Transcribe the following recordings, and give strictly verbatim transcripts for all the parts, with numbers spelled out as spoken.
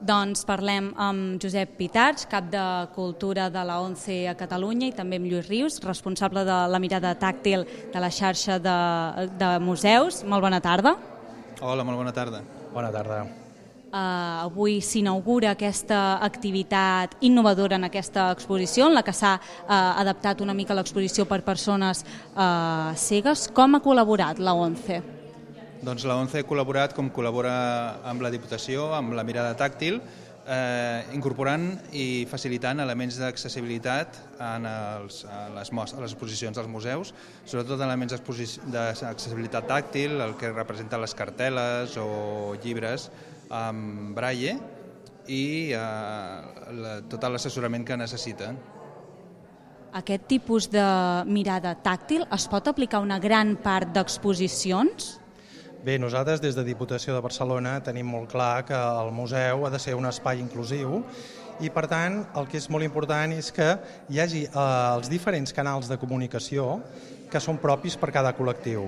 Doncs parlem amb Josep Pitarch, cap de Cultura de la ONCE a Catalunya, i també amb Lluís Rius, responsable de la mirada tàctil de la xarxa de, de museus. Molt bona tarda. Hola, molt bona tarda. Bona tarda. Uh, avui s'inaugura aquesta activitat innovadora en aquesta exposició, en la que s'ha uh, adaptat una mica l'exposició per persones uh, cegues. Com ha col·laborat la ONCE? Doncs la ONCE ha col·laborat com col·labora amb la Diputació, amb la mirada tàctil, eh, incorporant i facilitant elements d'accessibilitat en els, a, les, a les exposicions dels museus, sobretot elements d'accessibilitat tàctil, el que representen les cartel·les o llibres amb braille i eh, la, tot l'assessorament que necessiten. Aquest tipus de mirada tàctil es pot aplicar a una gran part d'exposicions? Bé, nosaltres des de Diputació de Barcelona tenim molt clar que el museu ha de ser un espai inclusiu i, per tant, el que és molt important és que hi hagi eh, els diferents canals de comunicació que són propis per cada col·lectiu.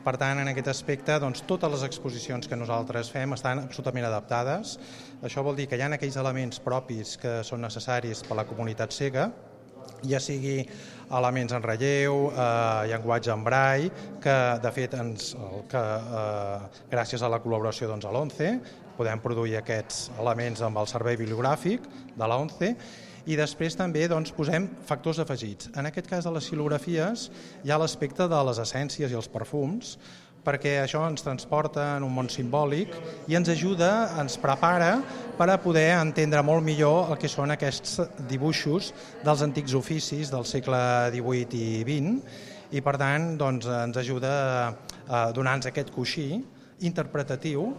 Per tant, en aquest aspecte, doncs, totes les exposicions que nosaltres fem estan absolutament adaptades. Això vol dir que hi ha aquells elements propis que són necessaris per a la comunitat cega, ja sigui elements en relleu, eh, llenguatge en braille, que de fet ens, que, eh, gràcies a la col·laboració doncs, a l'ONCE podem produir aquests elements amb el servei bibliogràfic de l'ONCE, i després també doncs, posem factors afegits. En aquest cas de les xilografies hi ha l'aspecte de les essències i els perfums, perquè això ens transporta en un món simbòlic i ens ajuda, ens prepara per a poder entendre molt millor el que són aquests dibuixos dels antics oficis del segle divuit i vint, i per tant doncs, ens ajuda a donar-nos aquest coixí interpretatiu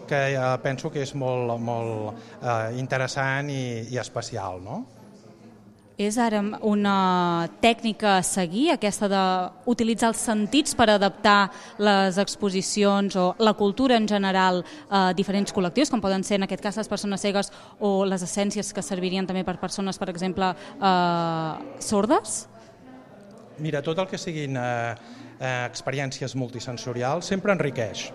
que penso que és molt, molt eh, interessant i, i especial, no? És ara una tècnica a seguir, aquesta d'utilitzar els sentits per adaptar les exposicions o la cultura en general a diferents col·lectius, com poden ser en aquest cas les persones cegues o les essències que servirien també per persones, per exemple, eh, sordes? Mira, tot el que siguin eh, experiències multisensorials sempre enriqueix.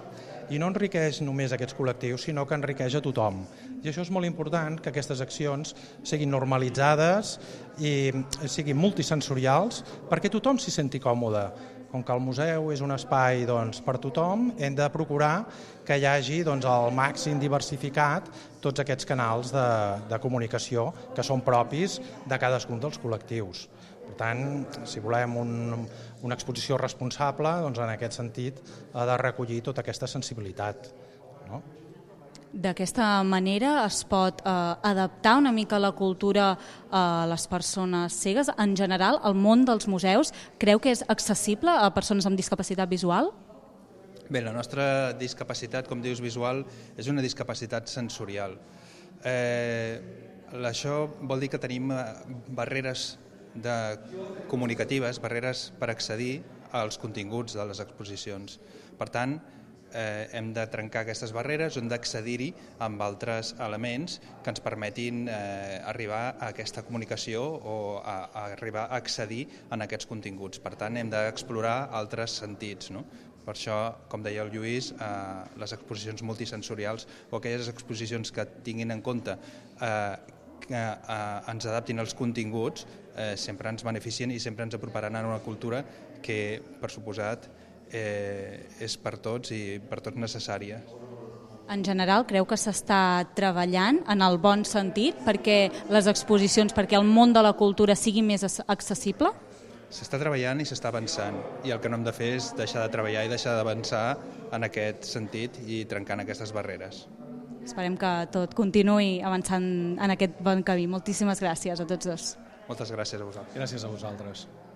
I no enriqueix només aquests col·lectius, sinó que enriqueix a tothom. I això és molt important, que aquestes accions siguin normalitzades i siguin multisensorials perquè tothom s'hi senti còmode. Com que el museu és un espai doncs, per tothom, hem de procurar que hi hagi doncs, el màxim diversificat tots aquests canals de, de comunicació que són propis de cadascun dels col·lectius. Per tant, si volem un, una exposició responsable, doncs en aquest sentit ha de recollir tota aquesta sensibilitat, no? D'aquesta manera es pot eh, adaptar una mica la cultura a les persones cegues. En general, el món dels museus creu que és accessible a persones amb discapacitat visual? Bé, la nostra discapacitat, com dius, visual, és una discapacitat sensorial. Eh, això vol dir que tenim barreres de comunicatives, barreres per accedir als continguts de les exposicions. Per tant, eh, hem de trencar aquestes barreres, hem d'accedir-hi amb altres elements que ens permetin eh, arribar a aquesta comunicació o a, a arribar a accedir en aquests continguts. Per tant, hem d'explorar altres sentits, no? Per això, com deia el Lluís, eh, les exposicions multisensorials o aquelles exposicions que tinguin en compte eh, que eh, ens adaptin als continguts eh, sempre ens beneficien i sempre ens aproparan a una cultura que, per suposat, eh, és per tots i per tots necessària. En general, creu que s'està treballant en el bon sentit perquè les exposicions, perquè el món de la cultura sigui més accessible? S'està treballant i s'està avançant, i el que no hem de fer és deixar de treballar i deixar d'avançar en aquest sentit i trencant aquestes barreres. Esperem que tot continuï avançant en aquest bon camí. Moltíssimes gràcies a tots dos. Moltes gràcies a vosaltres. Gràcies a vosaltres.